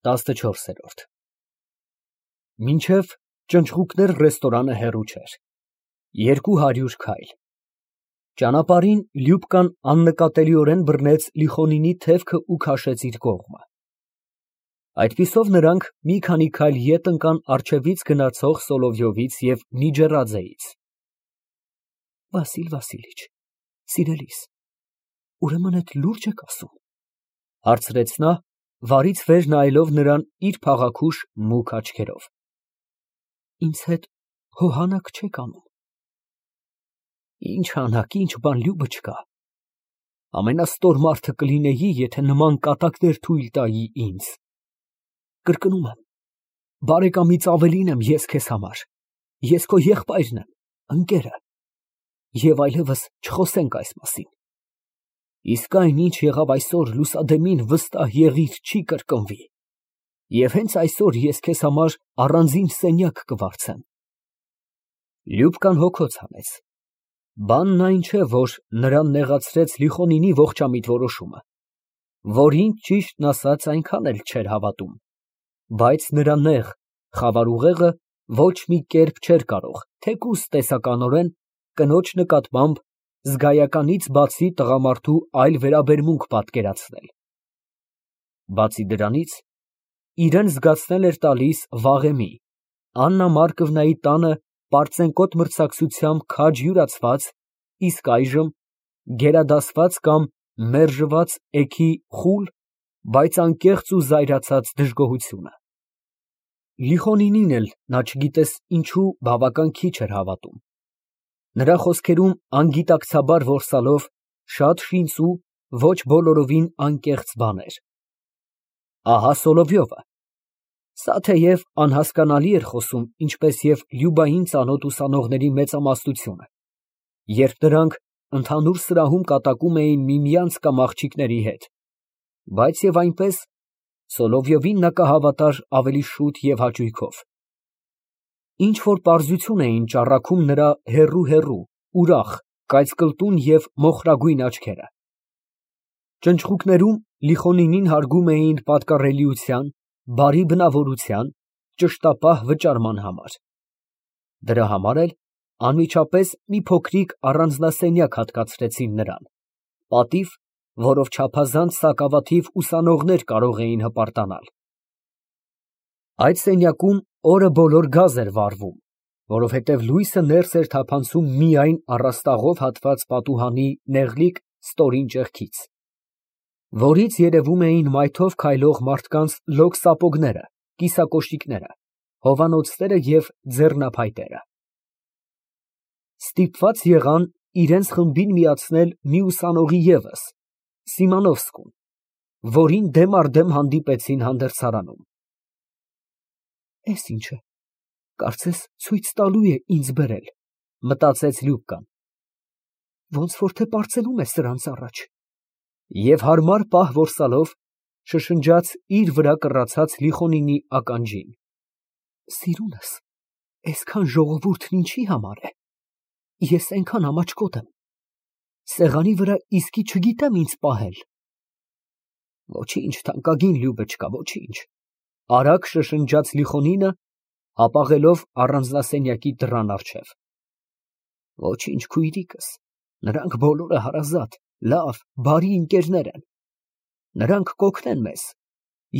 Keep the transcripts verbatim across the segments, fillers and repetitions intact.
տասնչորսերորդ Մինչև ճնճղուկներ ռեստորանը հեռու չէր, երկու հարյուր քայլ։ Ճանապարհին Լյուբկան աննկատելիորեն բռնեց Լիխոնինի թևքը ու քաշեց իր կողմը։ Այդպիսով նրանք մի քանի քայլ ետ ընկան առջևից գնացող Սոլովյովից և Նիջեռաձեից։ Վասիլ Վասիլիչ, սիրելիս, ուրեմն էդ լուրջ եք ասում, հարցրեց նա, վարից վեր նայելով նրան իր փաղաքուշ մուգ աչքերով։ Ինձ հետ հոհանակ չեք անում։ Ինչ հանակ, ինչ բան Լյուբը չկա։ Ամենաստոր մարդը կլինեի, եթե նման կատակներ թույլ տայի ինձ։ Կրկնում եմ, բարեկամից ավելին եմ ես քեզ համար, ես քո եղբայրն եմ, ընկերը, և այլևս չխոսենք այս մասին։ Իսկ այն, ինչ եղավ այսօր, լուսադեմին վստահ եղիր չի կրկնվի, և հենց այսօր ես քեզ համար առանձին սենյակ կվարձեմ։ Լյուբկան հոգոց հանեց։ Բանն այն չէ, որ նրան նեղացրեց Լիխոնինի ողջամիտ որոշումը, որին, ճիշտն ասած, այնքան էլ չէր հավատում, բայց նրա նեղ, խավար ուղեղը ոչ մի կերպ չէր կարող, թեկուզ տեսականորեն, կնոջ նկատմամբ զգայականից բացի տղամարդու այլ վերաբերմունք պատկերացնել։ Բացի դրանից, իրան զգացնել էր տալիս վաղեմի, Աննա Մարկովնայի տանը պարծենկոտ մրցակցությամբ քաջ յուրացված, իսկ այժմ գերադասված կամ մերժված էգի խուլ, բայց անկեղծ ու զայրացած դժգոհությունը։ Լիխոնինին էլ նա չգիտես ինչու բավական քիչ էր հավատում։ Նրա խոսքերում անգիտակցաբար որսալով շատ շինծու, ոչ բոլորովին անկեղծ բաներ։ Ահա Սոլովյովը։ Սա թեև անհասկանալի էր խոսում, ինչպես և Լյուբային ծանոթ ուսանողների մեծամասնությունը, երբ նրանք ընդհանուր սրահում կատակում էին միմյանց կամ աղջիկների հետ, բայց և այնպես Սոլովյովին նա կհավատար ավելի շուտ և հաճույքով։ Ինչ֊որ պարզություն էին ճառագում նրա հեռու֊հեռու, ուրախ, կայծկլտուն և մոխրագույն աչքերը։ Ճնճղուկներում Լիխոնինին հարգում էին պատկառելիության, բարի բնավորության, ճշտապահ վճարման համար։ Դրա համար էլ անմիջապես մի փոքրիկ առանձնասենյակ հատկացրեցին նրան, պատիվ, որով չափազանց սակավաթիվ ուսանողներ կարող էին հպարտանալ։ Այդ սենյակում օրը բոլոր գազ էր վառվում, որովհետև լույսը ներս էր թափանցում միայն առաստաղով հատված պատուհանի նեղլիկ ստորին ճեղքից, որից երևում էին մայթով քայլող մարդկանց լոկ սապոգները, կիսակոշիկները, հովանոցները և ձեռնափայտերը։ Ստիպված եղան իրենց խմբին միացնել մի ուսանողի ևս, Սիմոնովսկուն, որին դեմ առ դեմ հանդիպեցին հանդերձարանում։ Էս ինչ է, կարծես ցույց տալու է ինձ բերել, մտածեց Լյուբկան, ոնց որ թե պարծենում է սրանց առաջ, և հարմար պահ որսալով շշնջաց իր վրա կռացած Լիխոնինի ականջին. Սիրունս, այսքան ժողովուրդն ինչի համար է, ես այնքան ամաչկոտ եմ, սեղանի վրա իսկի չգիտեմ ինձ պահել։ Ոչինչ, թանկագին Լյուբեչկա, ոչինչ, արագ շշնջաց Լիխոնինը, հապաղելով առանձնասենյակի դռան առջև։ Ոչինչ, քույրիկս, նրանք բոլորը հարազատ, լավ, բարի ընկերներ են։ Նրանք կօգնեն մեզ,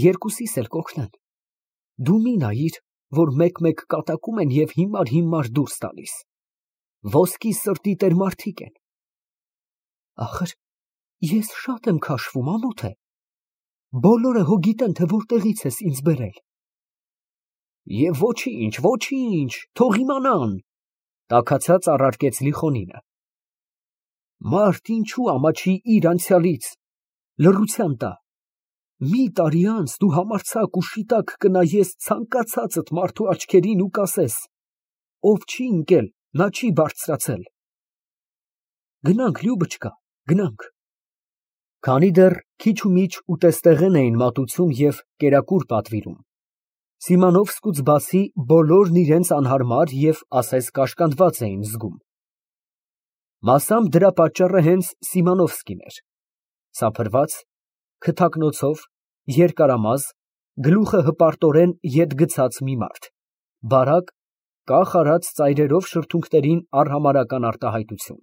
երկուսիս էլ կօգնեն։ Դու մի նայիր, որ մեկ֊մեկ կատակում են և հիմար֊հիմար դուրս տալիս։ Ոսկի սրտի տեր մարդիկ են։ Ախր, ես շատ եմ քաշվում, ամոթ է։ Բոլորը հո գիտեն, թե որտեղից ես ինձ բերել։ Եվ ոչինչ, ոչինչ, թող իմանան, տաքացած առարկեց Լիխոնինը։ Մարդ ինչու ամաչի իր անցյալից, լռության տա։ Մի տարի անց դու համարձակ ու շիտակ կնայես ցանկացածդ մարդու աչքերին ու կասես. ով չի ընկել, նա չի բարձրացել։ Գնանք, Լյուբочка, գնանք։ Քանի դեռ քիչ ու միչ ուտեստեղեն էին մատուցում և կերակուր պատվիրում, Սիմոնովսկուց բացի բոլորն իրենց անհարմար և ասես կաշկանդված էին զգում։ Մասամբ դրա պատճառը հենց Սիմոնովսկին էր, սափրված, քթակնոցով, երկարամազ, գլուխը հպարտորեն ետ գցած մի մարդ, բարակ, կախ արած ծայրերով շրթունքներին արհամարհական արտահայտություն։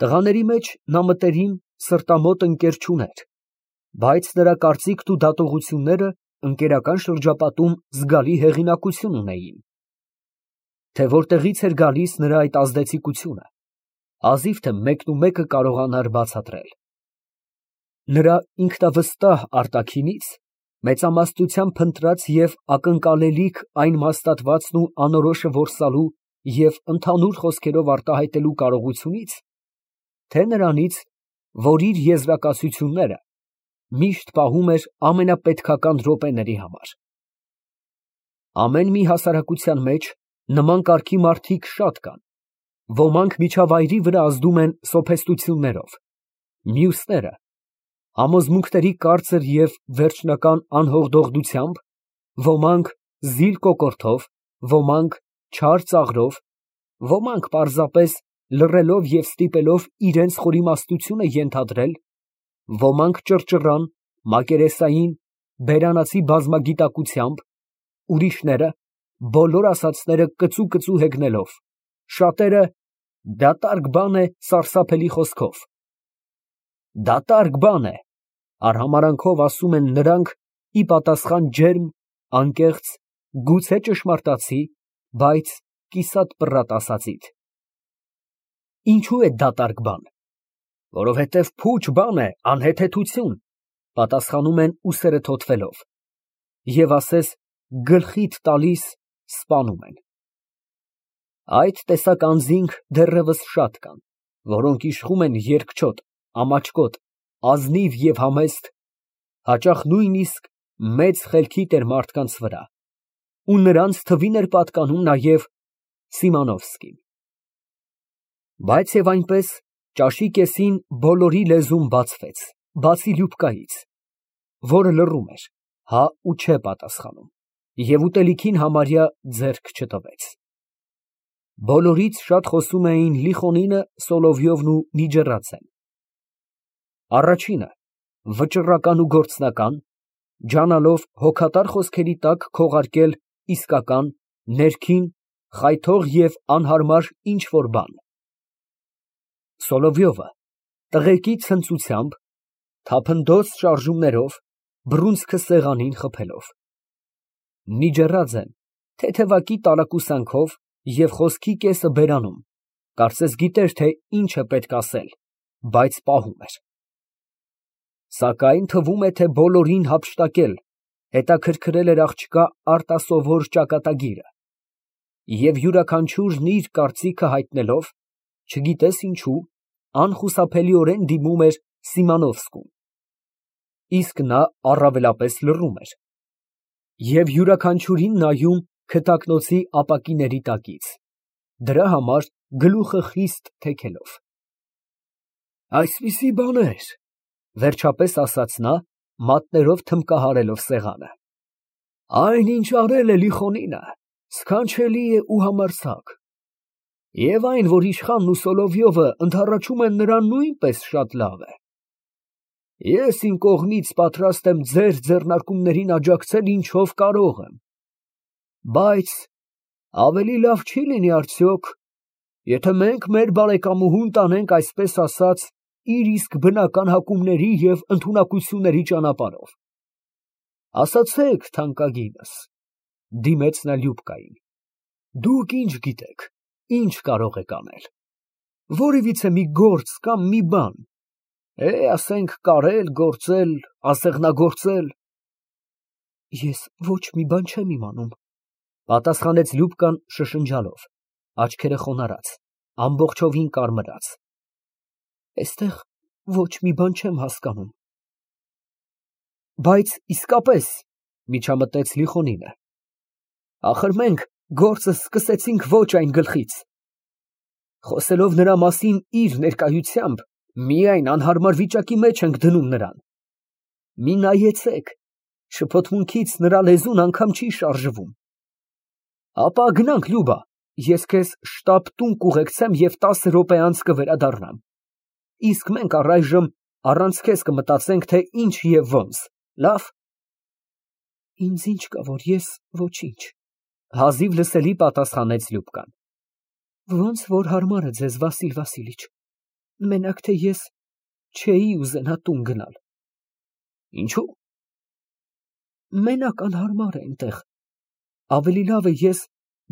Տղաների մեջ նա մտերիմ, սրտամոտ ընկեր չուներ, բայց նրա կարծիքն ու դատողությունները ընկերական շրջապատում զգալի հեղինակություն ունեին։ Թե որտեղից էր գալիս նրա այդ ազդեցիկությունը, հազիվ թե մեկն ու մեկը կարողանար բացատրել։ Նրա ինքնավստահ արտաքինից մեծամասնությամբ փնտրած և ակնկալելիք այն մաստատվածն ու անորոշը որսալու և ընդհանուր խոսքերով արտահայտելու կարողությունից, թե նրանից, որ իր եզրակացությունները միշտ պահում էր ամենապետքական րոպեների համար։ Ամեն մի հասարակության մեջ նման կարգի մարդիկ շատ կան, ոմանք միջավայրի վրա ազդում են սոփեստություններով, մյուսները համոզմունքների կարծր և վերջնական անհողդողդությամբ, ոմանք զիլ կոկորդով, ոմանք չար ծաղրով, ոմանք պարզապես լռելով և ստիպելով իրենց խորիմաստությունը ենթադրել, ոմանք ճռճռան, մակերեսային, բերանացի բազմագիտակցությամբ, ուրիշները բոլոր ասածները կծու֊կծու հեգնելով, շատերը դատարկ բան է սարսափելի խոսքով։ Դատարկ բան է, արհամարանքով ասում են նրանք ի պատասխան ջերմ, անկեղծ, գուցե ճշմարտացի, բայց կիսատ պռատ ասածիդ։ Ինչո՞ւ է դատարկ բան։ Որովհետև փուչ բան է, անհեթեթություն, պատասխանում են ուսերը թոթվելով, և ասես գլխիդ տալիս, սպանում են։ Այդ տեսակ անձինք դեռևս շատ կան, որոնք իշխում են երկչոտ, ամաչկոտ, ազնիվ և համեստ, հաճախ նույնիսկ մեծ խելքի տեր մարդկանց վրա, ու նրանց թվին էր պատկանում նաև Սիմոնովսկին։ Բայց և այնպես, ճաշի կեսին բոլորի լեզուն բացվեց, բացի Լյուբկայից, որը լռում էր, հա ու չէ պատասխանում, և ուտելիքին համարյա ձեռք չտվեց։ Բոլորից շատ խոսում էին Լիխոնինը, Սոլովյովն ու Նիջեռաձեն։ Առաջինը, վճռական ու գործնական, ջանալով հոգատար խոսքերի տակ քողարկել իսկական, ներքին, խայթող և անհարմար ինչ֊որ բան։ Սոլովյովը տղեկի ցնծությամբ, թափնտոց շարժումներով, բռունցքը սեղանին խփելով։ Նիջեռաձեն թեթևակի տարակուսանքով և խոսքի կեսը բերանում, կարծես գիտեր, թե ինչ է պետք ասել, բայց պահում էր։ Սակայն թվում է, թե բոլորին հափշտակել, հետաքրքրել էր աղջկա արտասովոր ճակատագիրը, և յուրաքանչյուրն իր կարծիքը հայտնելով, չգիտես ինչու, անխուսափելիորեն դիմում էր Սիմոնովսկուն, իսկ նա առավելապես լռում էր և յուրաքանչյուրին նայում քթակնոցի ապակիների տակից, դրա համար գլուխը խիստ թեքելով։ Այսպիսի բաներ, վերջապես ասաց նա, մատներով թմբկահարելով սեղանը, այն, ինչ արել է Լիխոնինը, սքանչելի է ու համարձակ, և այն, որ իշխանն ու Սոլովյովը ընդառաջում են նրան, նույնպես շատ լավ է։ Ես իմ կողմից պատրաստ եմ ձեր ձեռնարկումներին աջակցել ինչով կարող եմ, բայց ավելի լավ չի լինի արդյոք, եթե մենք մեր բարեկամուհուն տանենք, այսպես ասած, իր իսկ բնական հակումների և ընդունակությունների ճանապարհով։ Ասացեք, թանկագինս, դիմեց նա Լյուբկային, դուք ինչ գիտեք, ինչ կարող եք անել, որևիցե մի գործ կամ մի բան, է, ասենք, կարել, գործել, ասեղնագործել։ Ես ոչ մի բան չեմ իմանում, պատասխանեց Լյուբկան շշնջալով, աչքերը խոնարհած, ամբողջովին կարմրած։ Այստեղ ոչ մի բան չեմ հասկանում։ Բայց իսկապես, միջամտեց Լիխոնինը, ախր մենք գործը սկսեցինք ոչ այն գլխից։ Խոսելով նրա մասին իր ներկայությամբ, միայն անհարմար վիճակի մեջ ենք դնում նրան։ Մի նայեցեք, շփոթմունքից նրա լեզուն անգամ չի շարժվում։ Ապա գնանք, Լյուբա, ես քեզ շտապ տուն կուղեկցեմ և տասը րոպե անց կվերադառնամ, իսկ մենք առայժմ առանց քեզ կմտածենք, թե ինչ և ոնց, լավ։ Ինձ ինչ կա, որ ես ոչինչ, հազիվ լսելի պատասխանեց Լյուբկան։ Ոնց որ հարմար է ձեզ, Վասիլ Վասիլիչ, մենակ թե ես չէի ուզենա տուն գնալ։ Ինչու՞։ Մենակ անհարմար է այնտեղ, ավելի լավ է ես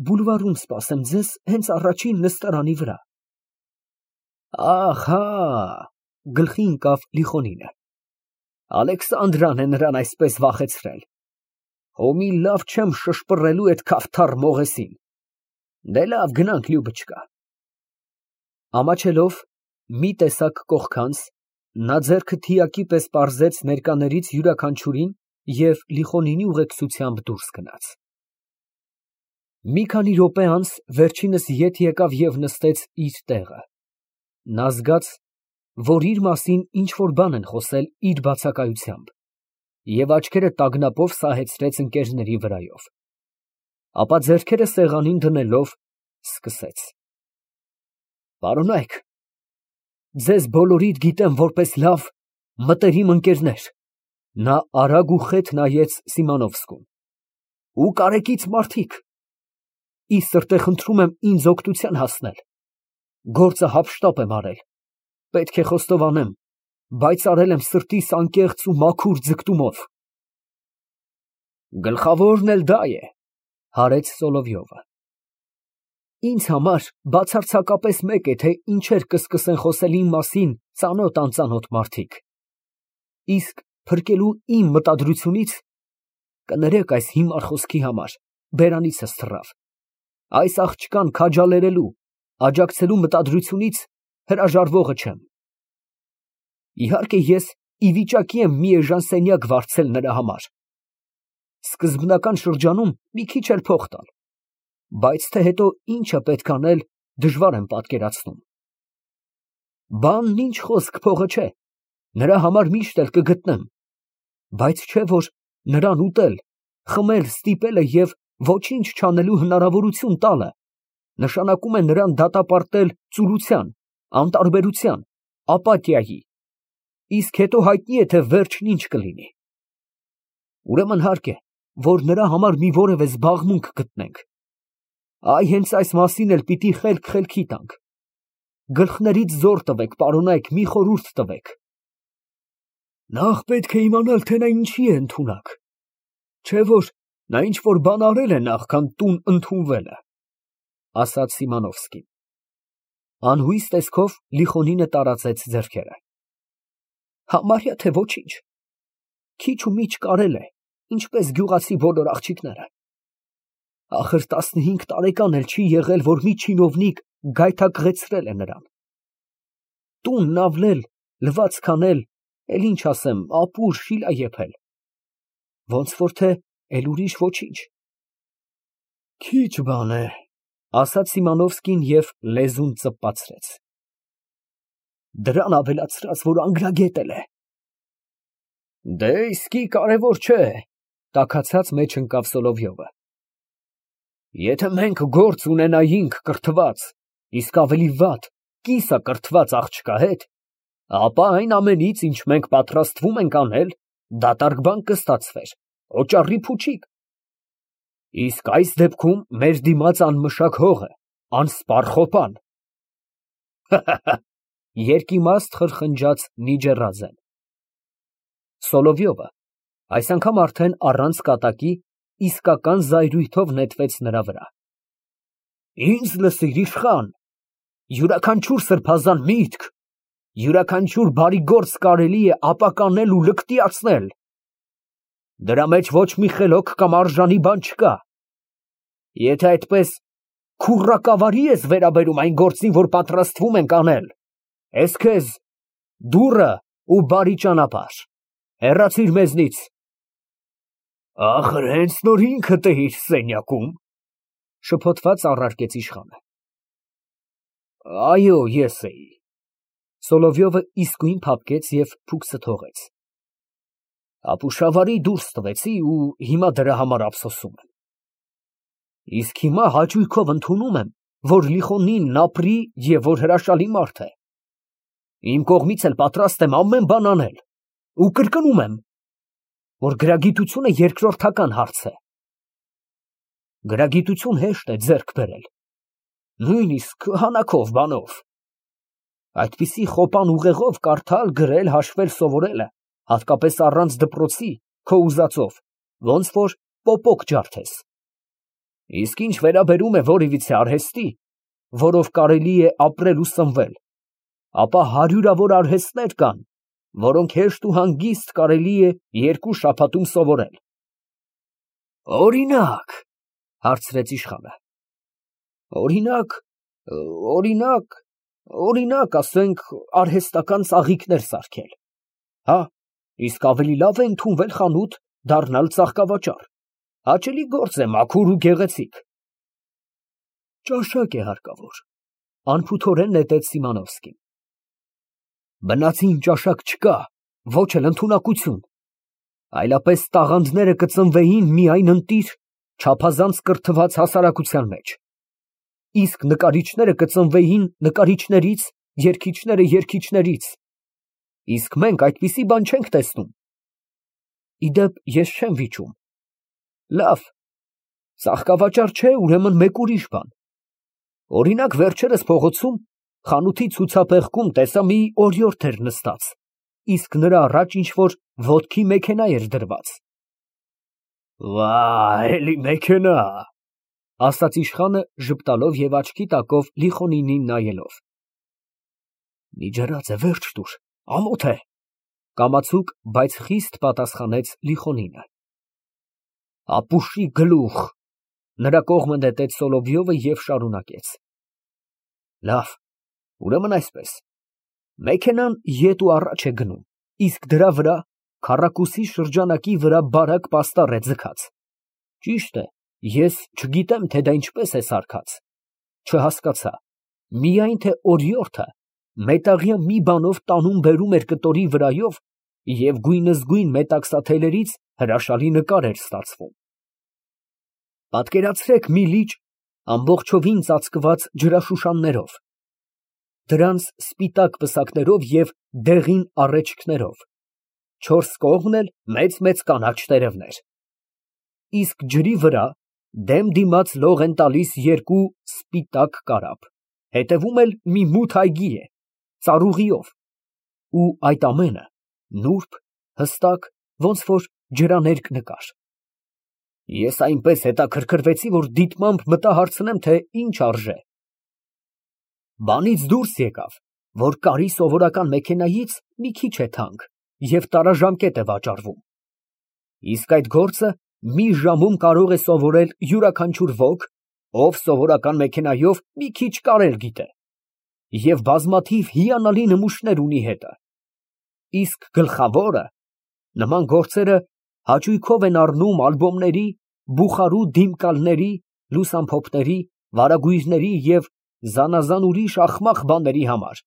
բուլվարում սպասեմ ձեզ հենց առաջին նստարանի վրա։ Ահա, գլխի ընկավ Լիխոնինը, Ալեքսանդրան է նրան այսպես վախեցրել։ Հո մի լավ չեմ շշպռելու այդ քավթառ մողեսին։ Դե լավ, գնանք, Լյուբճկա։ Ամաչելով մի տեսակ կողքանց, նա ձեռքը թիակի պես պարզեց ներկաներից յուրաքանչյուրին և Լիխոնինի ուղեկցությամբ դուրս գնաց։ Մի քանի րոպե անց վերջինս ետ եկավ և նստեց իր տեղը։ Նա զգաց, որ իր մասին ինչ֊որ բան են խոսել իր բացակայությամբ, և աչքերը տագնապով սահեցրեց ընկերների վրայով, ապա ձեռքերը սեղանին դնելով սկսեց. Պարոնայք, ձեզ բոլորիդ գիտեմ որպես լավ, մտերիմ ընկերներ, նա արագ ու խետ նայեց Սիմոնովսկուն, ու կարեկից մարդիկ, ի սրտե խնդրում եմ ինձ օգնության հասնել, գործը հափշտապ եմ արել, պետք է խոստովանեմ, բայց արել եմ սրտիս անկեղծ ու մաքուր ձգտումով։ Գլխավորն էլ դա է, հարեց Սոլովյովը։ Ինձ համար բացարձակապես մեկ է, թե ինչեր կսկսեն խոսել իմ մասին ծանոթ-անծանոթ մարդիկ, իսկ փրկելու իմ մտադրությունից, կներեք այս հիմար խոսքի համար, բերանիցս թռավ, այս աղջկան քաջալերելու, աջակցելու մտադրությունից հրաժարվողը չեմ։ Իհարկե ես ի վիճակի եմ մի էժան սենյակ վարձել նրա համար, սկզբնական շրջանում մի քիչ էլ փող տալ, բայց թե հետո ինչ է պետք անել, դժվար եմ պատկերացնում։ Բանն ինչ խոսք փողը չէ, նրա համար միշտ էլ կգտնեմ, բայց չէ որ նրան ուտել, խմել, ստիպելը և ոչինչ չանելու հնարավորություն տալը նշանակում է նրան դատապարտել ծուլության, անտարբերության, ապաթիայի, իսկ հետո հայտնի է, թե վերջն ինչ կլինի։ Ուրեմն հարկ է, որ նրա համար մի որևէ զբաղմունք գտնենք։ Այ հենց այս մասին էլ պիտի խելք-խելքի տանք։ Գլխներից զոր տվեք, պարոնայք, մի խորհուրդ տվեք։ Նախ պետք է իմանալ, թե նա ինչի է ընդունակ, չէ որ նա ինչ-որ բան արել է նախքան տուն ընդունվելը, ասաց Սիմոնովսկին։ Անհույս տեսքով Լիխոնինը տարածեց ձեռքերը։ Համարյա թե ոչինչ, քիչ ու միջ կարել է, ինչպես գյուղացի բոլոր աղջիկները։ Ախր տասնհինգ տարեկան էլ չի եղել, որ մի չինովնիկ գայթակղեցրել է նրան։ Տունն ավլել, լվացք անել, էլ ինչ ասեմ, ապուր, շիլա եփել, ոնց որ թե էլ ուրիշ ոչինչ։ Քիչ բան է, ասաց Սիմոնովսկին և լեզուն ծպացրեց։ Դրան ավելացրած, որ անգրագետ էլ է։ Դե իսկի կարևոր չէ, տաքացած մեջ ընկավ Սոլովյովը։ Եթե մենք գործ ունենայինք կրթված, իսկ ավելի վատ, կիսակրթված աղջկա հետ, ապա այն ամենից, ինչ մենք պատրաստվում ենք անել, դատարկ բան կստացվեր, օճառի փուչիկ։ Իսկ այս դեպքում մեր դիմաց անմշակ հողը, անսպառ խոպան։ Երկիմաստ խրխնջաց Նիջեռաձեն։ Սոլովյովը այս անգամ արդեն առանց կատակի իսկական զայրույթով նետվեց նրա վրա։ Ինձ լսիր, իշխան, յուրաքանչյուր սրբազան միտք, յուրաքանչյուր բարի գործ կարելի է ապականել ու լկտիացնել։ Դրա մեջ ոչ մի խելոք կամ արժանի բան չկա։ Եթե այդպես քուռակավարի ես վերաբերում այն գործին, որ պատրաստվում ենք անել, ես քեզ դուռը ու բարի ճանապարհ, հեռացիր մեզնից։ Ախր հենց նոր ինքդ էիր սենյակում, շփոթված առարկեց իշխանը։ Այո, ես էի։ Սոլովյովը իսկույն փափկեց և փուքսը թողեց։ Ապուշավարի դուրս տվեցի ու հիմա դրա համար ափսոսում եմ։ Իսկ հիմա հաճույքով ընդունում եմ, որ Լիխոնինն ապրի և որ հրաշալի մարդ է։ Իմ կողմից էլ պատրաստ եմ ամեն բան անել, ու կրկնում եմ, որ գրագիտությունը երկրորդական հարց է։ Գրագիտություն հեշտ է ձեռք բերել, նույնիսկ հանակով բանով։ Այդպիսի խոպան ուղեղով կարդալ, գրել, հաշվել սովորելը, հատկապես առանց դպրոցի, քո ուզածով, ոնց որ պոպոկ ջարդես։ Իսկ ինչ վերաբերում է որևիցե արհեստի, որով կարելի է ապրել ու սնվել, ապա հարյուրավոր արհեստներ կան, որոնք հեշտ ու հանգիստ կարելի է երկու շաբաթում սովորել։ Օրինակ, հարցրեց իշխանը։ Օրինակ, օրինակ, օրինակ, ասենք, արհեստական ծաղիկներ սարքել։ Հա, իսկ ավելի լավ է ընդունվել խանութ, դառնալ ծաղկավաճառ։ Հաճելի գործ է, մաքուր ու գեղեցիկ։ Ճաշակ է հարկավոր, անփութորեն նետեց Սիմոնովսկին։ Բնածին ճաշակ չկա, ոչ էլ ընդունակություն, այլապես տաղանդները կծնվեին միայն ընտիր, չափազանց կրթված հասարակության մեջ, իսկ նկարիչները կծնվեին նկարիչներից, երգիչները երգիչներից, իսկ մենք այդպիսի բան չենք տեսնում։ Իդեպ ես չեմ վիճում։ Լավ, ծաղկավաճառ չէ, ուրեմն մեկ ուրիշ բան։ Օրինակ վերջերս փողոցում խանութի ցուցափեղկում տեսա մի օրիորդ էր նստած, իսկ նրա առաջ ինչ-որ ոտքի մեքենա էր դրված։ Վա, էլի մեքենա, ասաց իշխանը ժպտալով և աչքի տակով Լիխոնինին նայելով։ Մի ջրած է, վերջ տուր, ամոթ է, կամացուկ, բայց խիստ պատասխանեց Լիխոնինը։ Ապուշի գլուխ, նրա կողմը նետեց Սոլովյովը և շարունակեց։ Լավ, ուրեմն այսպես, մեքենան ետ ու առաջ է գնում, իսկ դրա վրա քառակուսի շրջանակի վրա բարակ պաստառ է ձգած։ Ճիշտ է, ես չգիտեմ, թե դա ինչպես է սարքած, չհասկացա, միայն թե օրիորդը մետաղյա մի բանով տանում֊բերում էր կտորի վրայով և գույնզգույն մետաքսաթելերից հրաշալի նկար էր ստացվում։ Պատկերացրեք մի լիճ ամբողջովին ծածկված ջրաշուշաններով, դրանց սպիտակ պսակներով և դեղին առէջքներով, չորս կողմն էլ մեծ֊մեծ կանաչ տերևներ, իսկ ջրի վրա դեմ դիմաց լող են տալիս երկու սպիտակ կարապ, հետևում էլ մի մութ այգի է, ծառուղիով, ու այդ ամենը նուրբ, հստակ, ոնց որ ջրաներկ նկար։ Ես այնպես հետաքրքրվեցի, որ դիտմամբ մտա հարցնեմ, թե ինչ արժե։ Բանից դուրս եկավ, որ կարի սովորական մեքենայից մի քիչ է թանկ և տարաժամկետ է վաճառվում, իսկ այդ գործը մի ժամում կարող է սովորել յուրաքանչյուր ոք, ով սովորական մեքենայով մի քիչ կարել գիտե, և բազմաթիվ հիանալի նմուշներ ունի հետը, իսկ գլխավորը, նման գործերը հաճույքով են առնում ալբոմների, բուխարու դիմկալների, լուսամփոփների, վարագույրների և զանազան ուրիշ ախմախ բաների համար,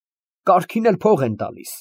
կարգին էլ փող են տալիս։